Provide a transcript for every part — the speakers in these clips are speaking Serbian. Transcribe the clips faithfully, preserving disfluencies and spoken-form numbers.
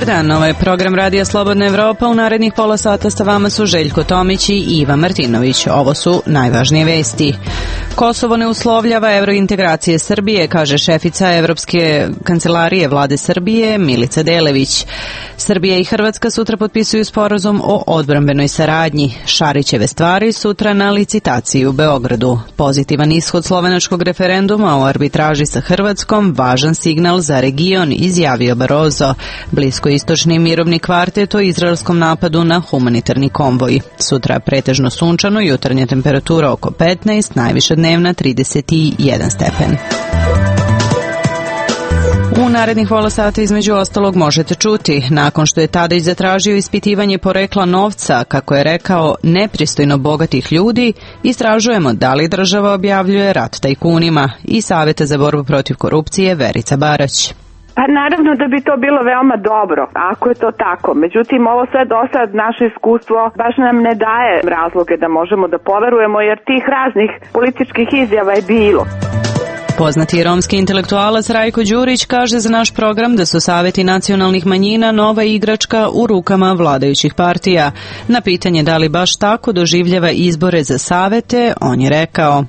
Dobar dan, ovo je program Radija Slobodna Evropa. U narednih pola sata sa vama su Željko Tomić i Iva Martinović. Ovo su najvažnije vesti. Kosovo ne uslovljava evrointegracije Srbije, kaže šefica Evropske kancelarije vlade Srbije Milica Delević. Srbija i Hrvatska sutra potpisuju sporazum o odbrambenoj saradnji. Šarićeve stvari sutra na licitaciji u Beogradu. Pozitivan ishod slovenačkog referenduma o arbitraži sa Hrvatskom, važan signal za region, izjavio Barroso. Bliskoistočni mirovni kvartet o izraelskom napadu na humanitarni konvoj. Sutra pretežno sunčano, jutarnja temperatura oko petnaest, najviša dnevna trideset jedan stepen. U narednih pola sata između ostalog možete čuti, nakon što je Tadić zatražio ispitivanje porekla novca, kako je rekao, nepristojno bogatih ljudi, istražujemo da li država objavljuje rat tajkunima, i Saveta za borbu protiv korupcije Verica Barać. Pa naravno da bi to bilo veoma dobro, ako je to tako. Međutim, ovo sve do sad, naše iskustvo, baš nam ne daje razloge da možemo da poverujemo, jer tih raznih političkih izjava je bilo. Poznati romski intelektualac Rajko Đurić kaže za naš program da su saveti nacionalnih manjina nova igračka u rukama vladajućih partija. Na pitanje da li baš tako doživljava izbore za savete, on je rekao: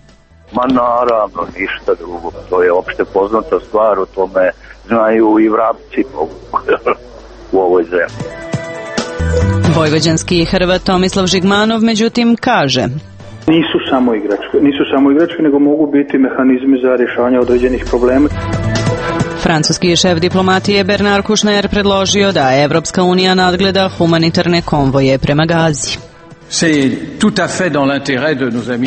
Ma naravno, ništa drugo. To je opšte poznata stvar, o tome znaju i vrapci u ovoj zemlji. Vojvođanski Hrvat Tomislav Žigmanov međutim kaže: Nisu samo igračke, nisu samo igračke, nego mogu biti mehanizmi za rješavanje određenih problema. Francuski šef diplomatije Bernard Kouchner predložio da Evropska unija nadgleda humanitarne konvoje prema Gazi.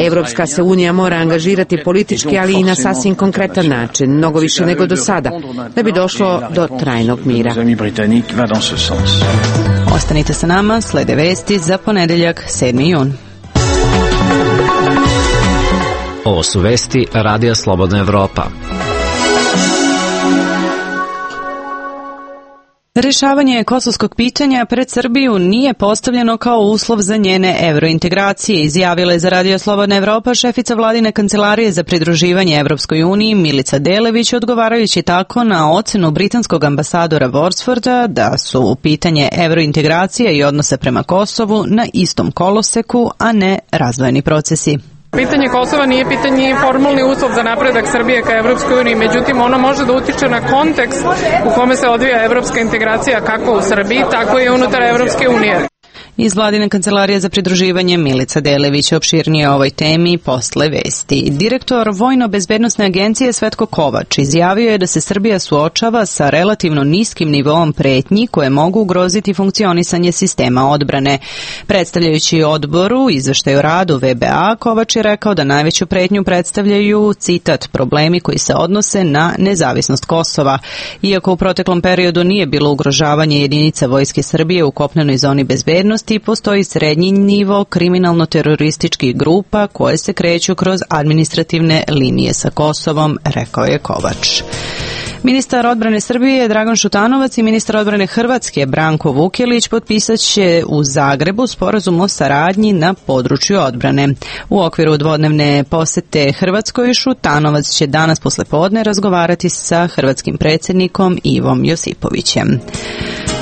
Evropska se unija mora angažirati politički, ali i na sasvim konkretan način, mnogo više nego do sada, da bi došlo do trajnog mira. Ostanite sa nama, slede vesti za ponedeljak sedmi jun. Ovo su vesti Radija Slobodna Evropa. Rješavanje kosovskog pitanja pred Srbiju nije postavljeno kao uslov za njene evrointegracije, izjavila je za Radio Slobodna Evropa šefica vladine kancelarije za pridruživanje Evropskoj uniji Milica Delević, odgovarajući tako na ocenu britanskog ambasadora Worsforda da su pitanje evrointegracije i odnose prema Kosovu na istom koloseku, a ne razdvojeni procesi. Pitanje Kosova nije pitanje formalni uslov za napredak Srbije ka Evropskoj uniji, međutim ono može da utiče na kontekst u kome se odvija evropska integracija kako u Srbiji, tako i unutar Evropske unije. Iz vladine kancelarije za pridruživanje Milica Delević opširnije o ovoj temi posle vesti. Direktor Vojno-bezbednosne agencije Svetko Kovač izjavio je da se Srbija suočava sa relativno niskim nivoom pretnji koje mogu ugroziti funkcionisanje sistema odbrane. Predstavljajući odboru izveštaj o radu V B A, Kovač je rekao da najveću pretnju predstavljaju, citat, problemi koji se odnose na nezavisnost Kosova. Iako u proteklom periodu nije bilo ugrožavanje jedinica Vojske Srbije u kopnenoj zoni bezbednosti, postoji srednji nivo kriminalno-terorističkih grupa koje se kreću kroz administrativne linije sa Kosovom, rekao je Kovač. Ministar odbrane Srbije Dragan Šutanovac i ministar odbrane Hrvatske Branko Vukelić potpisat će u Zagrebu sporazum o saradnji na području odbrane. U okviru dvodnevne posete Hrvatskoj Šutanovac će danas poslepodne razgovarati sa hrvatskim predsjednikom Ivom Josipovićem.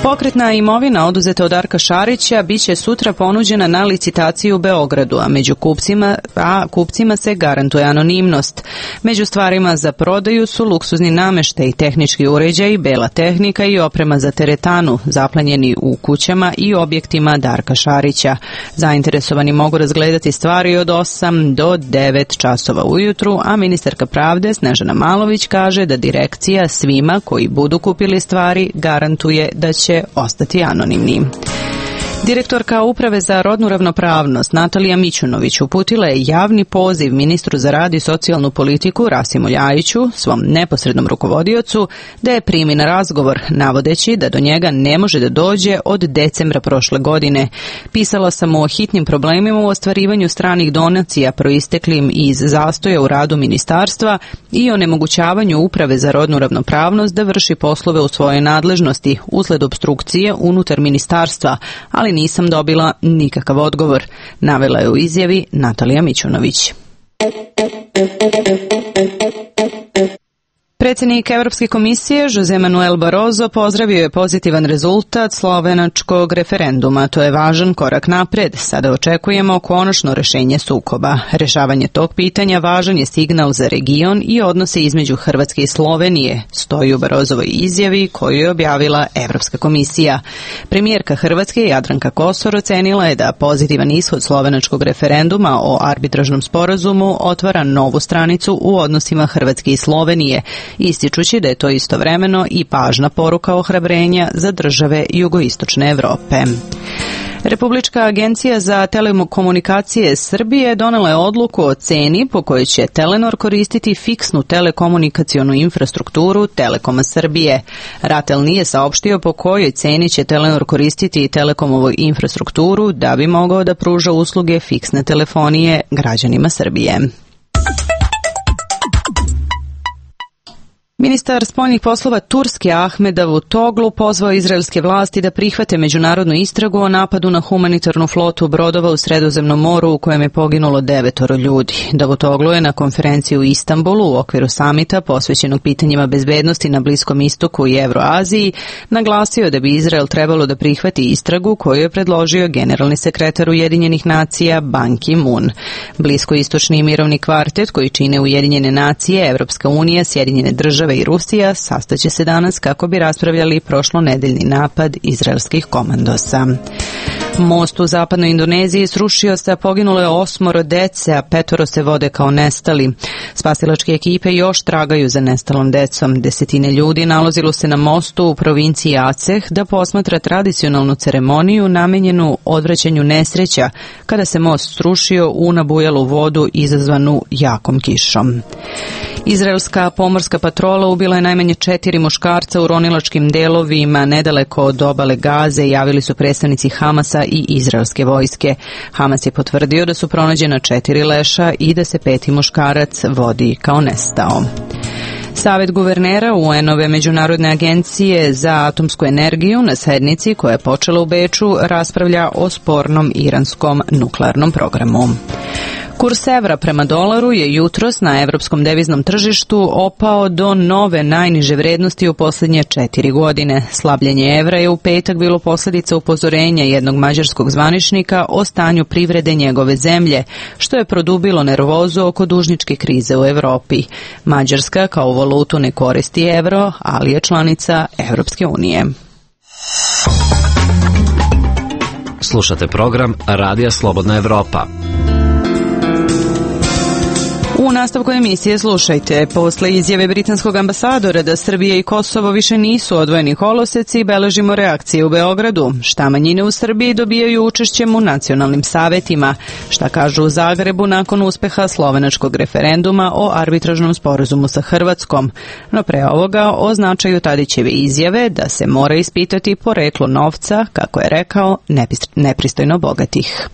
Pokretna imovina oduzeta od Darka Šarića biće sutra ponuđena na licitaciju u Beogradu, a među kupcima, a kupcima se garantuje anonimnost. Među stvarima za prodaju su luksuzni nameštaj, tehnički uređaji, bela tehnika i oprema za teretanu, zaplenjeni u kućama i objektima Darka Šarića. Zainteresovani mogu razgledati stvari od osam do devet časova ujutru, a ministarka pravde Snežana Malović kaže da direkcija svima koji budu kupili stvari garantuje da će ostati anonimni. Direktorka Uprave za rodnu ravnopravnost Natalija Mićunović uputila je javni poziv ministru za rad i socijalnu politiku Rasimu Ljajiću, svom neposrednom rukovodiocu, da je primi na razgovor, navodeći da do njega ne može da dođe od decembra prošle godine. Pisala sam mu o hitnim problemima u ostvarivanju stranih donacija proisteklim iz zastoja u radu ministarstva i o nemogućavanju Uprave za rodnu ravnopravnost da vrši poslove u svojoj nadležnosti usled obstrukcije unutar ministarstva, ali nisam dobila nikakav odgovor, navela je u izjavi Natalija Mićunović. Predsjednik Evropske komisije Jose Manuel Barroso pozdravio je pozitivan rezultat slovenačkog referenduma. To je važan korak napred. Sada očekujemo konačno rešenje sukoba. Rešavanje tog pitanja važan je signal za region i odnose između Hrvatske i Slovenije, stoji u Barrosovoj izjavi koju je objavila Evropska komisija. Premijerka Hrvatske Jadranka Kosor ocenila je da pozitivan ishod slovenačkog referenduma o arbitražnom sporazumu otvara novu stranicu u odnosima Hrvatske i Slovenije, ističući da je to istovremeno i važna poruka ohrabrenja za države jugoistočne Evrope. Republička agencija za telekomunikacije Srbije donela je odluku o ceni po kojoj će Telenor koristiti fiksnu telekomunikacionu infrastrukturu Telekoma Srbije. Ratel nije saopštio po kojoj ceni će Telenor koristiti Telekomovu infrastrukturu da bi mogao da pruža usluge fiksne telefonije građanima Srbije. Ministar spoljnih poslova Turske Ahmed Davutoglu pozvao izraelske vlasti da prihvate međunarodnu istragu o napadu na humanitarnu flotu brodova u Sredozemnom moru u kojem je poginulo devetoro ljudi. Davutoglu je na konferenciji u Istanbulu u okviru samita posvećenog pitanjima bezbednosti na Bliskom istoku i Evroaziji naglasio da bi Izrael trebalo da prihvati istragu koju je predložio generalni sekretar Ujedinjenih nacija Ban Ki-moon. Bliskoistočni mirovni kvartet koji čine Ujedinjene nacije, Evropska unija, Sjedinjene države i Rusija sastaće se danas kako bi raspravljali prošlonedeljni napad izraelskih komandosa. Most u zapadnoj Indoneziji srušio se, a poginulo je osmoro dece, a petoro se vode kao nestali. Spasilačke ekipe još tragaju za nestalom decom. Desetine ljudi nalazilo se na mostu u provinciji Aceh da posmatra tradicionalnu ceremoniju namenjenu odvraćanju nesreća kada se most srušio u nabujalu vodu izazvanu jakom kišom. Izraelska pomorska patrola ubila je najmanje četiri muškarca u ronilačkim delovima nedaleko od obale Gaze, javili su predstavnici Hamasa i izraelske vojske. Hamas je potvrdio da su pronađena četiri leša i da se peti muškarac vodi kao nestao. Savet guvernera U N-ove Međunarodne agencije za atomsku energiju na sednici koja je počela u Beču raspravlja o spornom iranskom nuklearnom programu. Kurs evra prema dolaru je jutros na evropskom deviznom tržištu opao do nove najniže vrednosti u posljednje četiri godine. Slabljenje evra je u petak bilo posljedica upozorenja jednog mađarskog zvaničnika o stanju privrede njegove zemlje, što je produbilo nervozu oko dužničke krize u Evropi. Mađarska kao valutu ne koristi evro, ali je članica Evropske unije. Slušate program Radija Slobodna Evropa. U nastavku emisije slušajte, posle izjave britanskog ambasadora da Srbija i Kosovo više nisu odvojeni koloseci, beležimo reakcije u Beogradu. Šta manjine u Srbiji dobijaju učešćem u nacionalnim savetima? Šta kažu u Zagrebu nakon uspeha slovenačkog referenduma o arbitražnom sporazumu sa Hrvatskom? No pre ovoga o značaju Tadićeve izjave da se mora ispitati poreklo novca, kako je rekao, nepristojno bogatih.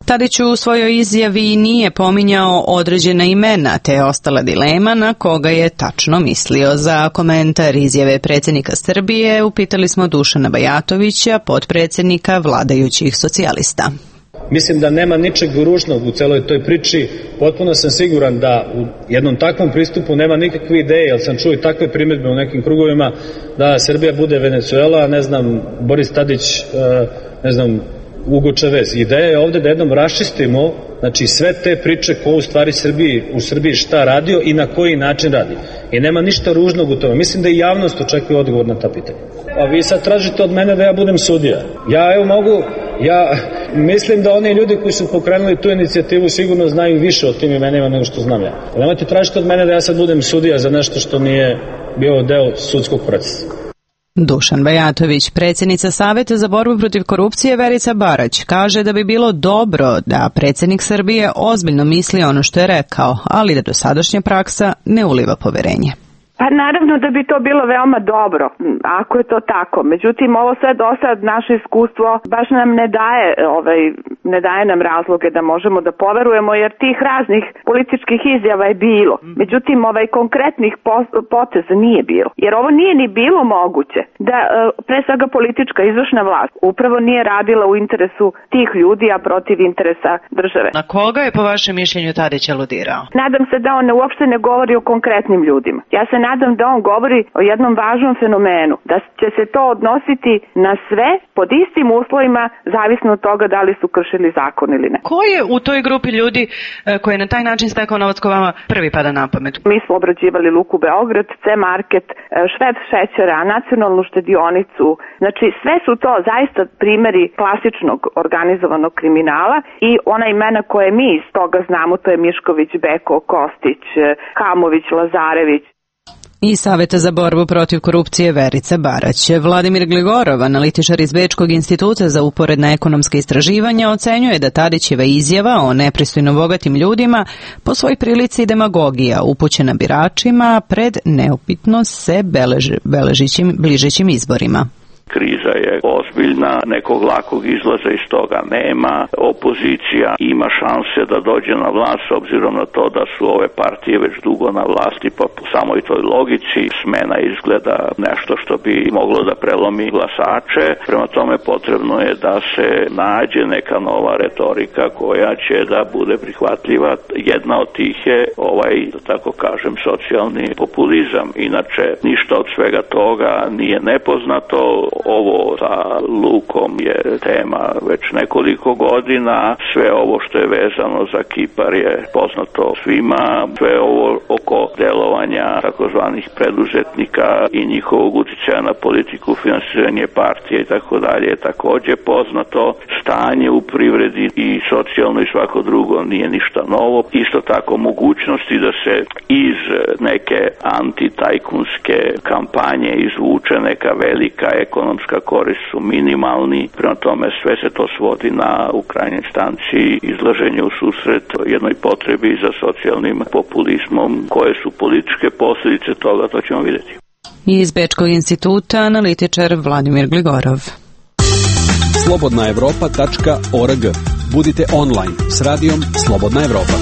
Tadić u svojoj izjavi nije pominjao određena imena, te je ostala dilema na koga je tačno mislio. Za komentar izjave predsjednika Srbije upitali smo Dušana Bajatovića, potpredsjednika vladajućih socijalista. Mislim da nema ničeg ružnog u celoj toj priči. Potpuno sam siguran da u jednom takvom pristupu nema nikakve ideje, jer sam čuo i takve primjedbe u nekim krugovima da Srbija bude Venezuela, ne znam, Boris Tadić, ne znam, Ugo Čavez. Ideja je ovde da jednom raščistimo, znači, sve te priče ko u stvari Srbiji, u Srbiji šta radio i na koji način radi. I nema ništa ružnog u tome. Mislim da i javnost očekuje odgovor na ta pitanja. A vi sad tražite od mene da ja budem sudija. Ja evo mogu, ja mislim da oni ljudi koji su pokrenuli tu inicijativu sigurno znaju više o tim imenima nego što znam ja. Nemojte tražiti od mene da ja sad budem sudija za nešto što nije bio deo sudskog procesa. Dušan Bajatović, predsjednica Saveta za borbu protiv korupcije Verica Barać, kaže da bi bilo dobro da predsjednik Srbije ozbiljno misli ono što je rekao, ali da dosadašnja praksa ne uliva poverenje. Pa naravno da bi to bilo veoma dobro, ako je to tako. Međutim, ovo sve do sad, naše iskustvo baš nam ne daje, ovaj, ne daje nam razloge da možemo da poverujemo, jer tih raznih političkih izjava je bilo. Međutim, ovaj konkretnih poteza nije bilo. Jer ovo nije ni bilo moguće da, pre svega, politička izvršna vlast upravo nije radila u interesu tih ljudi, a protiv interesa države. Na koga je po vašem mišljenju Tadić aludirao? Nadam se da on uopšte ne govori o konkretnim ljudima. Ja se nadam da on govori o jednom važnom fenomenu, da će se to odnositi na sve pod istim uslovima, zavisno od toga da li su kršili zakon ili ne. Ko je u toj grupi ljudi koji je na taj način stekao novac ko vama prvi pada na pamet? Mi smo obrađivali Luku Beograd, C-Market, Šved šećera, Nacionalnu štedionicu. Znači sve su to zaista primeri klasičnog organizovanog kriminala i ona imena koje mi iz toga znamo, to je Mišković, Beko, Kostić, Kamović, Lazarević. I Saveta za borbu protiv korupcije Verica Barać. Vladimir Gligorov, analitičar iz Bečkog instituta za uporedna ekonomska istraživanja, ocenjuje da Tadićeva izjava o nepristojno bogatim ljudima po svoj prilici demagogija upućena biračima pred neupitno se belež, beležićim bližećim izborima. Kriza je ozbiljna, nekog lakog izlaza iz toga nema. Opozicija ima šanse da dođe na vlast s obzirom na to da su ove partije već dugo na vlasti, pa po samoj toj logici smena izgleda nešto što bi moglo da prelomi glasače. Prema tome potrebno je da se nađe neka nova retorika koja će da bude prihvatljiva. Jedna od tih je ovaj, da tako kažem, socijalni populizam. Inače, ništa od svega toga nije nepoznato. Ovo sa Lukom je tema već nekoliko godina, sve ovo što je vezano za Kipar je poznato svima, sve ovo oko delovanja takozvanih preduzetnika i njihovog uticaja na politiku, finansiranje partije i tako dalje je takođe poznato. Stanje u privredi i socijalno i svako drugo nije ništa novo. Isto tako mogućnosti da se iz neke antitajkunske kampanje izvuče neka velika ekonomska korist su minimalni, prema tome sve se to svodi na u krajnjoj instanci izlaženje u susret jednoj potrebi za socijalnim populizmom. Koje su političke posljedice toga, to ćemo vidjeti. Iz Bečkog instituta analitičar Vladimir Gligorov. slobodna evropa tačka org. Budite online s radijom Slobodna Evropa.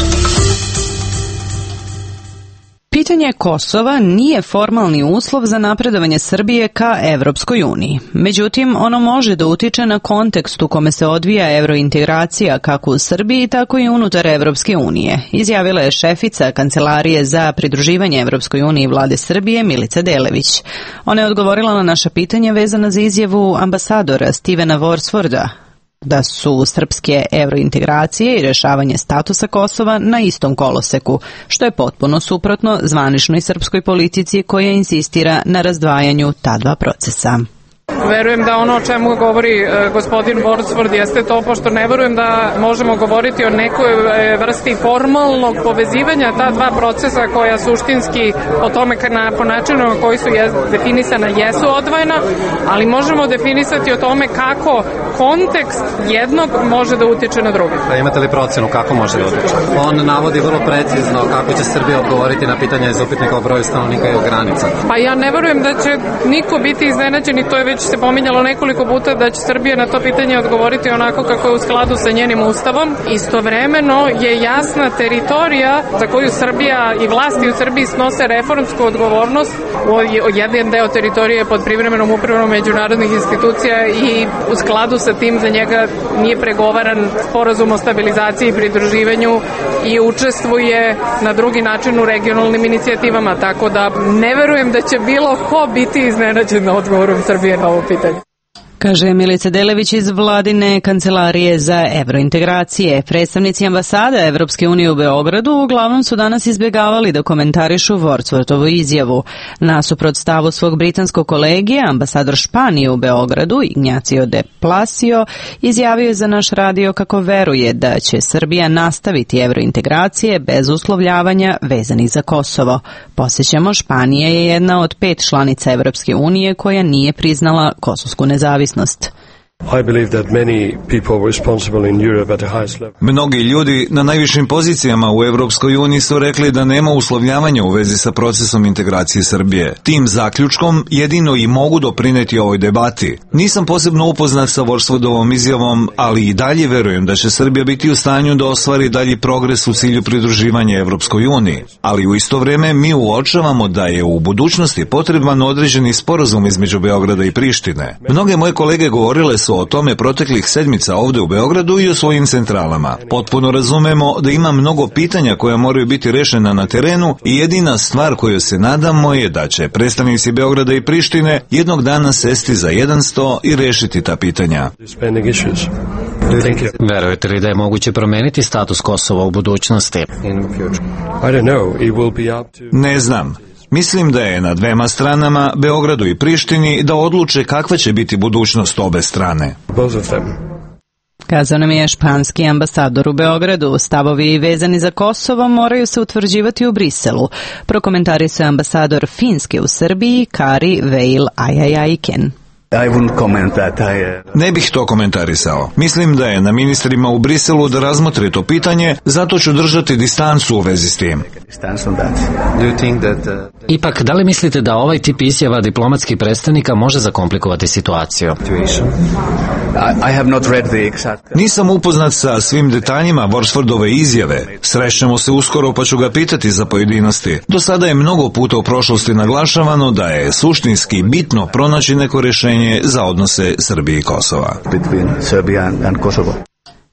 Pitanje Kosova nije formalni uslov za napredovanje Srbije ka Evropskoj uniji. Međutim, ono može da utiče na kontekst u kome se odvija evrointegracija kako u Srbiji, tako i unutar Evropske unije, izjavila je šefica Kancelarije za pridruživanje Evropskoj uniji vlade Srbije Milica Delević. Ona je odgovorila na naša pitanja vezana za izjavu ambasadora Stevena Worsforda da su srpske evrointegracije i rešavanje statusa Kosova na istom koloseku, što je potpuno suprotno zvaničnoj srpskoj politici koja insistira na razdvajanju ta dva procesa. Verujem da ono o čemu govori e, gospodin Worsford jeste to, pošto ne verujem da možemo govoriti o nekoj e, vrsti formalnog povezivanja ta dva procesa koja suštinski o tome na, po načinu na koji su je, definisana jesu odvojena, ali možemo definisati o tome kako kontekst jednog može da utiče na drugi. Da imate li procenu kako može da utiče? On navodi vrlo precizno kako će Srbija odgovoriti na pitanje iz upitnika o broju stanovnika i o granica. Pa ja ne verujem da će niko biti iznenađen i to je već se pominjalo nekoliko puta da će Srbija na to pitanje odgovoriti onako kako je u skladu sa njenim ustavom. Istovremeno je jasna teritorija za koju Srbija i vlasti u Srbiji snose reformsku odgovornost. Jedan deo teritorije je pod privremenom upravom međunarodnih institucija i u skladu sa tim za njega nije pregovaran sporazum o stabilizaciji i pridruživanju i učestvuje na drugi način u regionalnim inicijativama, tako da ne verujem da će bilo ko biti iznenađen na odgovorom Srbije na ovo pitanje. Kaže Milica Delević iz vladine Kancelarije za evrointegracije. Predstavnici ambasade Evropske unije u Beogradu uglavnom su danas izbjegavali da komentarišu Wordsworthovu izjavu. Nasuprot stavu svog britanskog kolegija, ambasador Španije u Beogradu, Ignacio de Plasio, izjavio je za naš radio kako veruje da će Srbija nastaviti evrointegracije bez uslovljavanja vezanih za Kosovo. Podsjećamo, Španija je jedna od pet članica Evropske unije koja nije priznala kosovsku nezavisnost. Mnogi ljudi na najvišim pozicijama u Evropskoj uniji su rekli da nema uslovljavanja u vezi sa procesom integracije Srbije. Tim zaključkom jedino i mogu doprineti ovoj debati. Nisam posebno upoznat sa Worsfordovom izjavom, ali i dalje verujem da će Srbija biti u stanju da ostvari dalji progres u cilju pridruživanja Evropskoj uniji. Ali u isto vreme mi uočavamo da je u budućnosti potreban određeni sporazum između Beograda i Prištine. Mnoge moje kolege govorile su o tome proteklih sedmica ovde u Beogradu i o svojim centralama. Potpuno razumemo da ima mnogo pitanja koja moraju biti rešena na terenu i jedina stvar koju se nadamo je da će predstavnici Beograda i Prištine jednog dana sesti za jedan sto i rešiti ta pitanja. Verujete li da je moguće promeniti status Kosova u budućnosti? Ne znam. Mislim da je na dvema stranama, Beogradu i Prištini, da odluče kakva će biti budućnost obe strane. Kazao nam je španski ambasador u Beogradu. Stavovi vezani za Kosovo moraju se utvrđivati u Briselu. Prokomentarisao je ambasador Finske u Srbiji, Kari Veil Ajajajken. Ne bih to komentarisao. Mislim da je na ministrima u Briselu da razmotre to pitanje, zato ću držati distancu u vezi s tim. Ipak, da li mislite da ovaj tip izjava diplomatskih predstavnika može zakomplikovati situaciju? Nisam upoznat sa svim detaljima Worsfordove izjave. Srećemo se uskoro pa ću ga pitati za pojedinosti. Do sada je mnogo puta u prošlosti naglašavano da je suštinski bitno pronaći neko rešenje za odnose Srbije i Kosova.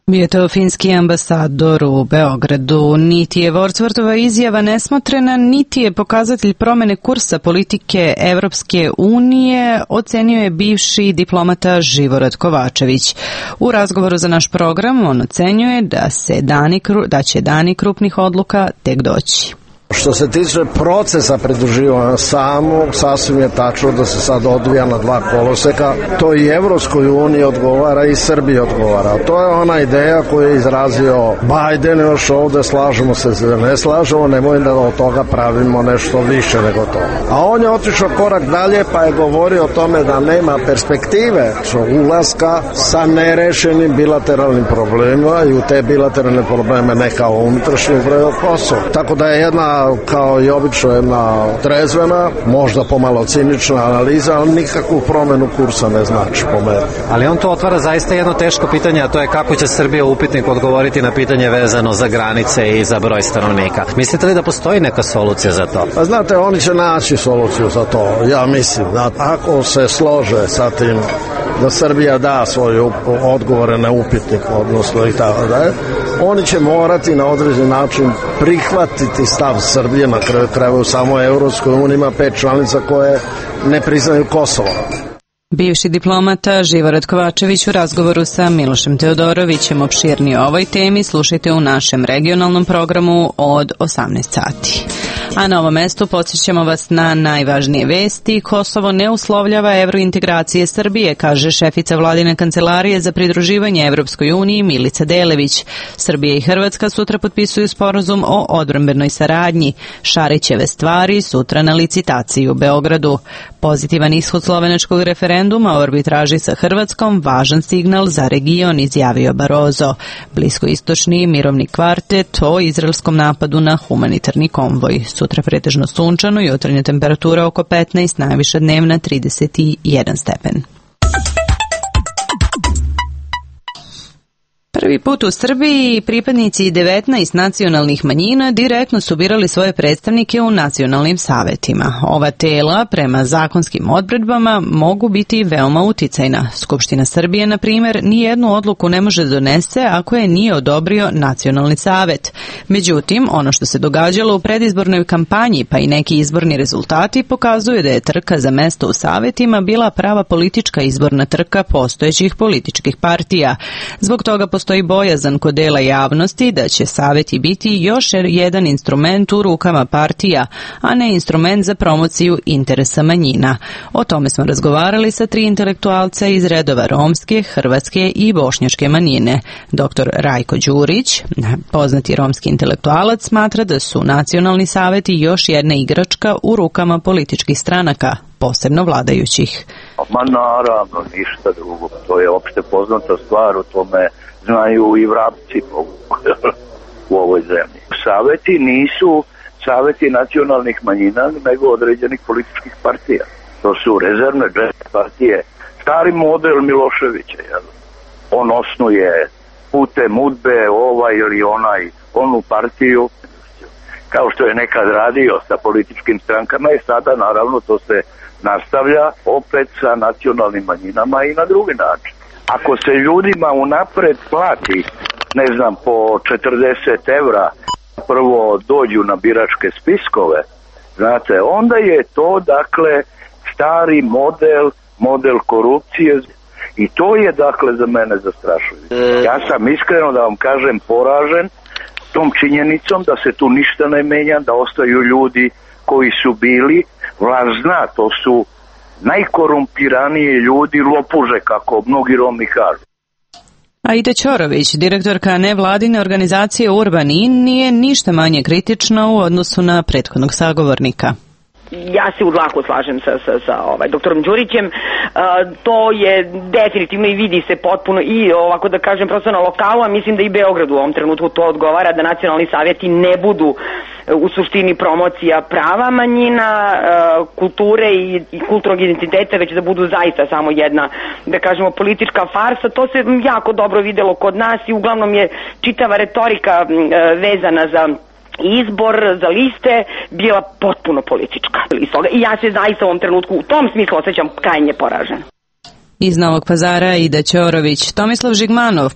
Bio je to finski ambasador u Beogradu. Niti je Worsfordova izjava nesmotrena, niti je pokazatelj promene kursa politike Evropske unije, ocenio je bivši diplomata Živorad Kovačević. U razgovoru za naš program on ocenjuje da, se dani, da će dani krupnih odluka tek doći. Što se tiče procesa pridruživanja samog, sasvim je tačno da se sad odvija na dva koloseka. To i Evropskoj uniji odgovara i Srbiji odgovara. To je ona ideja koju je izrazio Biden još ovde, slažemo se da ne slažemo, nemoj da od toga pravimo nešto više nego to. A on je otišao korak dalje pa je govorio o tome da nema perspektive ulaska sa nerešenim bilateralnim problemima i u te bilateralne probleme ne kao unutrašnji upravo Kosovo. Tako da je jedna, kao i obično, jedna trezvena, možda pomalo cinična analiza, ali nikakvu promenu kursa ne znači po meni. Ali on to otvara zaista jedno teško pitanje, a to je kako će Srbija u upitniku odgovoriti na pitanje vezano za granice i za broj stanovnika. Mislite li da postoji neka solucija za to? Pa znate, oni će naći soluciju za to. Ja mislim da ako se slože sa tim da Srbija da svoje odgovore na upitnik, odnosno i tako da je, oni će morati na određen način prihvatiti stav Srbije, na kraju krajeva u samo Evropskoj uniji ima pet članica koje ne priznaju Kosovo. Bivši diplomata Živorad Kovačević u razgovoru sa Milošem Teodorovićem. Opširnije o ovoj temi slušajte u našem regionalnom programu od osamnaest sati. A na ovom mestu podsjećamo vas na najvažnije vesti. Kosovo ne uslovljava evrointegracije Srbije, kaže šefica vladine kancelarije za pridruživanje Evropskoj uniji Milica Delević. Srbija i Hrvatska sutra potpisuju sporazum o odbrambenoj saradnji. Šarićeve stvari sutra na licitaciji u Beogradu. Pozitivan ishod slovenačkog referenduma o arbitraži sa Hrvatskom, važan signal za region, izjavio Barozo. Bliskoistočni mirovni kvartet o izraelskom napadu na humanitarni konvoj. Sutra pretežno sunčano i jutarnja temperatura oko petnaest, najviša dnevna trideset jedan stepen. Prvi put u Srbiji pripadnici devetnaest nacionalnih manjina direktno su birali svoje predstavnike u nacionalnim savetima. Ova tela, prema zakonskim odredbama, mogu biti veoma uticajna. Skupština Srbije, na primjer, nijednu odluku ne može donese ako je nije odobrio nacionalni savet. Međutim, ono što se događalo u predizbornoj kampanji, pa i neki izborni rezultati, pokazuju da je trka za mesto u savetima bila prava politička izborna trka postojećih političkih partija. Zbog toga postoji bojazan kod dela javnosti da će saveti biti još jedan instrument u rukama partija, a ne instrument za promociju interesa manjina. O tome smo razgovarali sa tri intelektualca iz redova romske, hrvatske i bošnjačke manjine. Doktor Rajko Đurić, poznati romski intelektualac, smatra da su nacionalni saveti još jedna igračka u rukama političkih stranaka, posebno vladajućih. Ma naravno, ništa drugo. To je opšte poznata stvar, o tome znaju i vrapci u ovoj zemlji. Saveti nisu saveti nacionalnih manjina, nego određenih političkih partija. To su rezervne partije. Stari model Miloševića, jel? On osnuje putem udbe ovaj ili onaj, onu partiju, kao što je nekad radio sa političkim strankama i sada naravno to se nastavlja opet sa nacionalnim manjinama i na drugi način. Ako se ljudima unapred plati, ne znam, po četrdeset evra, prvo dođu na biračke spiskove, znate, onda je to, dakle, stari model, model korupcije i to je, dakle, za mene zastrašujuće. Ja sam iskreno, da vam kažem, poražen tom činjenicom da se tu ništa ne menja, da ostaju ljudi koji su bili, vlast zna, to su najkorumpiraniji ljudi, lopuže, kako mnogi Romi kažu. Aida Ćorović, direktorka nevladine organizacije Urbanin, nije ništa manje kritična u odnosu na prethodnog sagovornika. Ja se u dlaku slažem sa, sa, sa ovaj, doktorom Đurićem. E, to je definitivno i vidi se potpuno i ovako da kažem prosto na lokalu, a mislim da i Beograd u ovom trenutku to odgovara, da nacionalni savjeti ne budu u suštini promocija prava manjina, e, kulture i, i kulturnog identiteta, već da budu zaista samo jedna, da kažemo, politička farsa. To se jako dobro videlo kod nas i uglavnom je čitava retorika e, vezana za izbor za liste bila potpuno politička. I ja se zaista u ovom trenutku u tom smislu osjećam krajnje poražen. Iz Novog Pazara Aida Ćorović. Tomislav Žigmanov,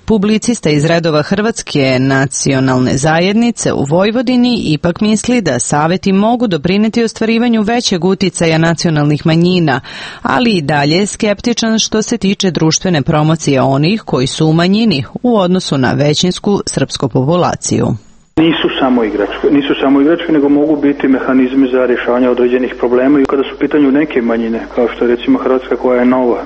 publicista iz redova Hrvatske nacionalne zajednice u Vojvodini, ipak misli da saveti mogu doprineti ostvarivanju većeg uticaja nacionalnih manjina, ali i dalje je skeptičan što se tiče društvene promocije onih koji su u manjini u odnosu na većinsku srpsku populaciju. Nisu samo igračke, nisu samo igračke, nego mogu biti mehanizmi za rješavanje određenih problema i kada su u pitanju neke manjine, kao što je recimo Hrvatska koja je nova,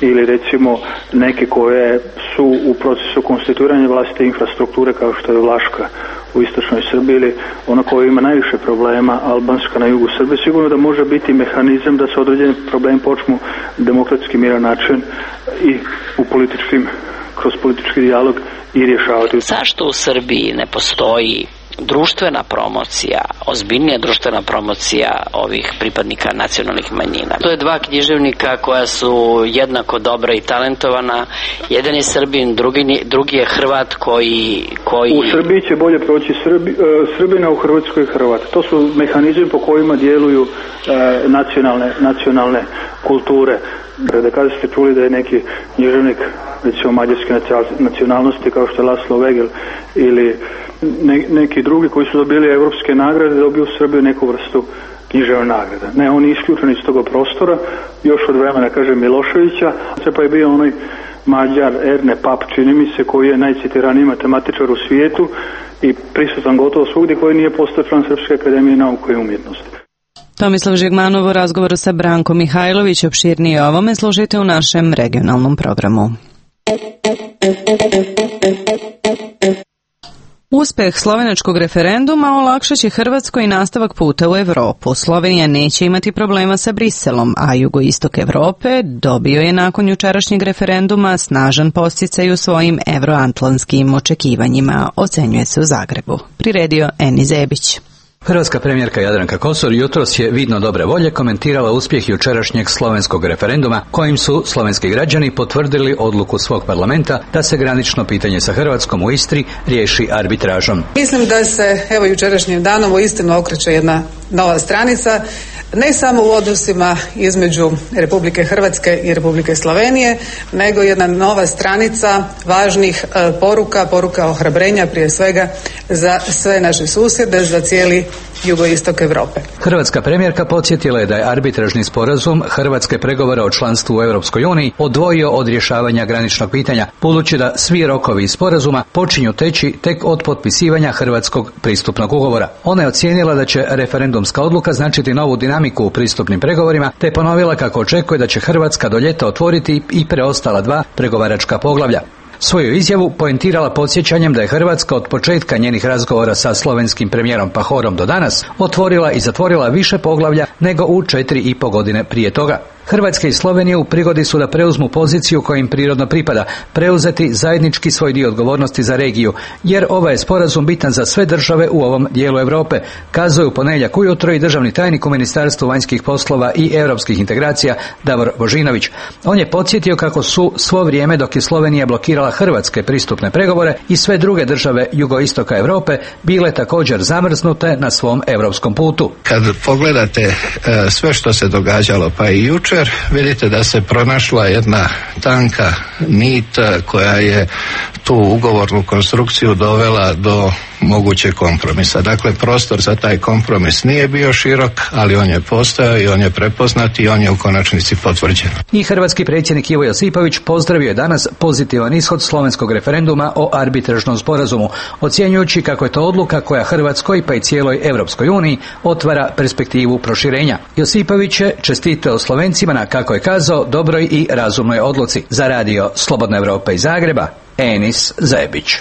ili recimo neke koje su u procesu konstituiranja vlastite infrastrukture kao što je Vlaška u istočnoj Srbiji ili ona koja ima najviše problema, Albanska na jugu Srbije, sigurno da može biti mehanizam da se određeni problemi počnu demokratski miran način i u političkim, kroz politički dijalog i rješavati. Zašto u Srbiji ne postoji društvena promocija, ozbiljnija društvena promocija ovih pripadnika nacionalnih manjina? To je dva književnika koja su jednako dobra i talentovana. Jedan je Srbin, drugi, drugi je Hrvat koji, koji... U Srbiji će bolje proći Srbi, Srbina, u Hrvatskoj Hrvat. To su mehanizmi po kojima djeluju e, nacionalne, nacionalne kulture. Da kada ste čuli da je neki književnik, recimo mađarske nacionalnosti kao što je Laslo Vegel ili ne, neki drugi koji su dobili evropske nagrade, dobiju u Srbiju neku vrstu književne nagrade. Ne, oni isključeni iz toga prostora, još od vremena, kažem, Miloševića, pa je bio onaj Mađar Erne Pap, čini mi se, koji je najcitiraniji matematičar u svijetu i prisutan gotovo svugdje, koji nije postao član Srpske akademije nauke i umjetnosti. Tomislav Žigmanov u razgovoru sa Brankom Mihajlović. Opširnije o ovome slušajte u našem regionalnom programu. Uspeh slovenačkog referenduma olakšat će Hrvatskoj nastavak puta u Evropu. Slovenija neće imati problema sa Briselom, a jugoistok Evrope dobio je nakon jučerašnjeg referenduma snažan podsticaj u svojim evroatlantskim očekivanjima, ocenjuje se u Zagrebu. Priredio Eni Zebić. Hrvatska premijerka Jadranka Kosor jutros je vidno dobre volje komentirala uspjeh jučerašnjeg slovenskog referenduma kojim su slovenski građani potvrdili odluku svog parlamenta da se granično pitanje sa Hrvatskom u Istri riješi arbitražom. Mislim da se evo jučerašnjim danom uistinu okreće jedna nova stranica, ne samo u odnosima između Republike Hrvatske i Republike Slovenije, nego jedna nova stranica važnih e, poruka, poruka ohrabrenja prije svega za sve naše susjede, za cijeli jugoistok Europe. Hrvatska premijerka podsjetila je da je arbitražni sporazum Hrvatske pregovora o članstvu u Europskoj uniji odvojio od rješavanja graničnog pitanja, budući da svi rokovi iz sporazuma počinju teći tek od potpisivanja Hrvatskog pristupnog ugovora. Ona je ocijenila da će referendumska odluka značiti novu dinamiku u pristupnim pregovorima, te ponovila kako očekuje da će Hrvatska do ljeta otvoriti i preostala dva pregovaračka poglavlja. Svoju izjavu poentirala podsjećanjem da je Hrvatska od početka njenih razgovora sa slovenskim premijerom Pahorom do danas otvorila i zatvorila više poglavlja nego u četiri i po godine prije toga. Hrvatska i Slovenija u prigodi su da preuzmu poziciju koja im prirodno pripada, preuzeti zajednički svoj dio odgovornosti za regiju, jer ovaj je sporazum bitan za sve države u ovom dijelu Europe, kazao je u ponedjeljak ujutro i državni tajnik u Ministarstvu vanjskih poslova i europskih integracija Davor Božinović. On je podsjetio kako su svo vrijeme dok je Slovenija blokirala hrvatske pristupne pregovore i sve druge države jugoistoka Europe bile također zamrznute na svom europskom putu. Kad pogledate e, sve što se događalo pa i jučer, vidite da se pronašla jedna tanka nit koja je tu ugovornu konstrukciju dovela do mogućeg kompromisa. Dakle, prostor za taj kompromis nije bio širok, ali on je postojao i on je prepoznat i on je u konačnici potvrđen. I hrvatski predsjednik Ivo Josipović pozdravio je danas pozitivan ishod slovenskog referenduma o arbitražnom sporazumu, ocjenjujući kako je to odluka koja Hrvatskoj pa i cijeloj Europskoj uniji otvara perspektivu proširenja. Josipović je čestitao Slovencima na, kako je kazao, dobroj i razumnoj odluci. Za radio Slobodna Evropa iz Zagreba, Enis Zebić.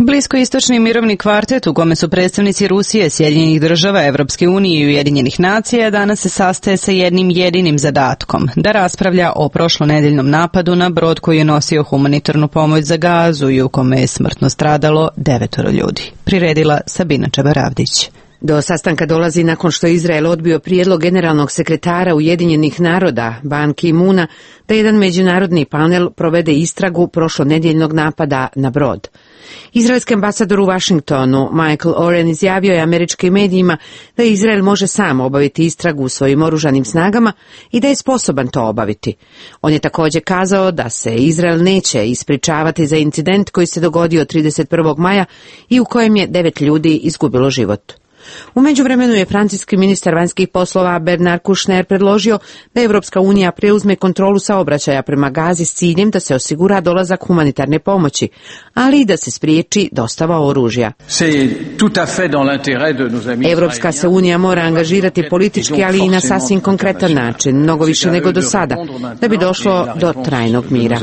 Bliskoistočni mirovni kvartet u kome su predstavnici Rusije, Sjedinjenih država, Evropske unije i Ujedinjenih nacija danas se sastaje sa jednim jedinim zadatkom, da raspravlja o prošlonedeljnom napadu na brod koji je nosio humanitarnu pomoć za Gazu i u kome je smrtno stradalo devetoro ljudi. Priredila Sabina Čabaravdić. Do sastanka dolazi nakon što je Izrael odbio prijedlog generalnog sekretara Ujedinjenih naroda Ban Ki-moona da jedan međunarodni panel provede istragu prošlonedjeljnog napada na brod. Izraelski ambasador u Washingtonu Michael Oren izjavio je američkim medijima da Izrael može sam obaviti istragu u svojim oružanim snagama i da je sposoban to obaviti. On je također kazao da se Izrael neće ispričavati za incident koji se dogodio trideset prvog maja i u kojem je devet ljudi izgubilo život. U međuvremenu je francuski ministar vanjskih poslova Bernard Kouchner predložio da Evropska unija preuzme kontrolu saobraćaja prema Gazi s ciljem da se osigura dolazak humanitarne pomoći, ali i da se spriječi dostava oružja. Evropska se unija mora angažirati politički, ali i na sasvim konkretan način, mnogo više nego do sada, da bi došlo do trajnog mira.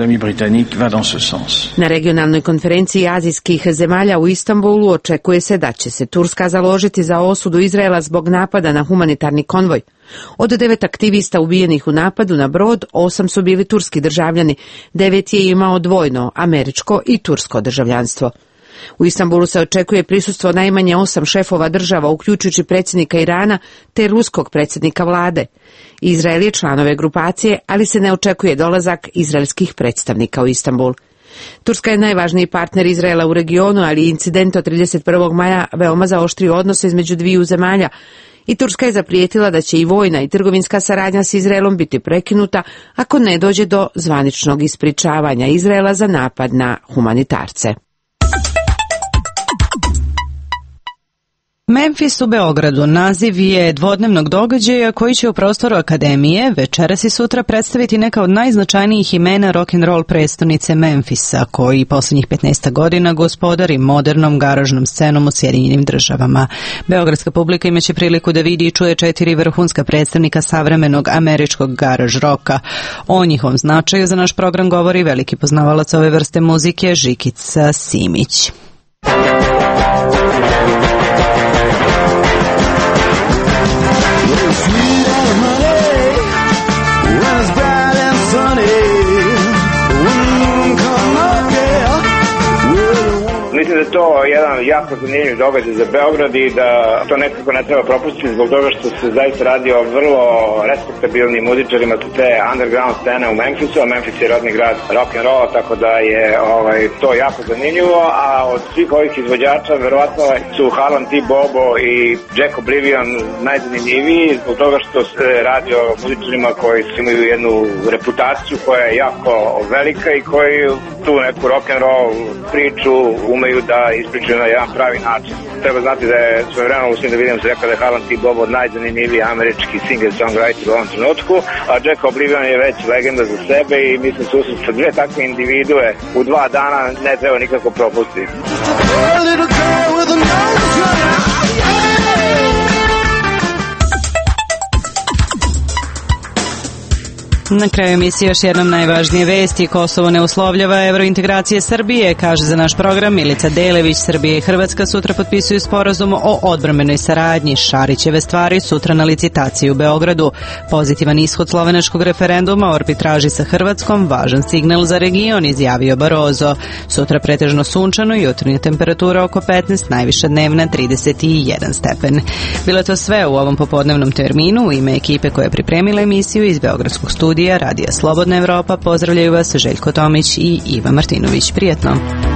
Na regionalnoj konferenciji azijskih zemalja u Istanbulu očekuje se da će se Turska založiti za za osudu Izraela zbog napada na humanitarni konvoj. Od devet aktivista ubijenih u napadu na brod, osam su bili turski državljani, devet je imao dvojno američko i tursko državljanstvo. U Istanbulu se očekuje prisustvo najmanje osam šefova država, uključujući predsjednika Irana te ruskog predsjednika vlade. Izrael je član ove grupacije, ali se ne očekuje dolazak izraelskih predstavnika u Istanbul. Turska je najvažniji partner Izraela u regionu, ali incident od trideset prvog maja veoma zaoštrio odnose između dviju zemalja i Turska je zaprijetila da će i vojna i trgovinska saradnja s Izraelom biti prekinuta ako ne dođe do zvaničnog ispričavanja Izraela za napad na humanitarce. Memfis u Beogradu naziv je dvodnevnog događaja koji će u prostoru Akademije večeras i sutra predstaviti neka od najznačajnijih imena rock'n'roll prestonice Memfisa, koji posljednjih petnaest godina gospodari modernom garažnom scenom u Sjedinjenim državama. Beogradska publika imaće priliku da vidi i čuje četiri vrhunska predstavnika savremenog američkog garaž roka. O njihovom značaju za naš program govori veliki poznavalac ove vrste muzike Žikica Simić. Mislim da je to jedan jako zanimljiv događaj za Beograd i da to nekako ne treba propustiti zbog toga što se zaista radi o vrlo respektabilnim muzičarima sa te underground scene u Memphisu, a Memphis je rodni grad rock'n'rolla, tako da je ovaj, to jako zanimljivo, a od svih ovih izvođača verovatno su Harlan T. Bobo i Jack Oblivion najzanimljiviji zbog toga što se radi o muzičarima koji imaju jednu reputaciju koja je jako velika i koji tu neku rock'n'roll priču umeju da ispričaju na jedan pravi način. Treba znati da je svojevremeno u Svim da vidim se rekao da je Harlan T. Bobo najzanimljiviji američki singer-songwriter u ovom trenutku, a Jack Oblivion je već legenda za sebe i mislim susret sa dve takve individue u dva dana ne treba nikako propustiti. Na kraju emisije još jednom najvažnije vesti. Kosovo ne uslovljava evrointegracije Srbije, kaže za naš program Milica Delević. Srbija i Hrvatska sutra potpisuju sporazum o odbrambenoj saradnji. Šarićeve stvari sutra na licitaciji u Beogradu. Pozitivan ishod slovenačkog referenduma o arbitraži sa Hrvatskom, važan signal za region, izjavio Barozo. Sutra pretežno sunčano i jutarnja temperatura oko petnaest, najviša dnevna trideset jedan stepen. Bilo je to sve u ovom popodnevnom terminu. U ime ekipe koja je pripremila emisiju iz Beogradskog studija Radija Slobodna Evropa pozdravljaju vas Željko Tomić i Iva Martinović. Prijetno!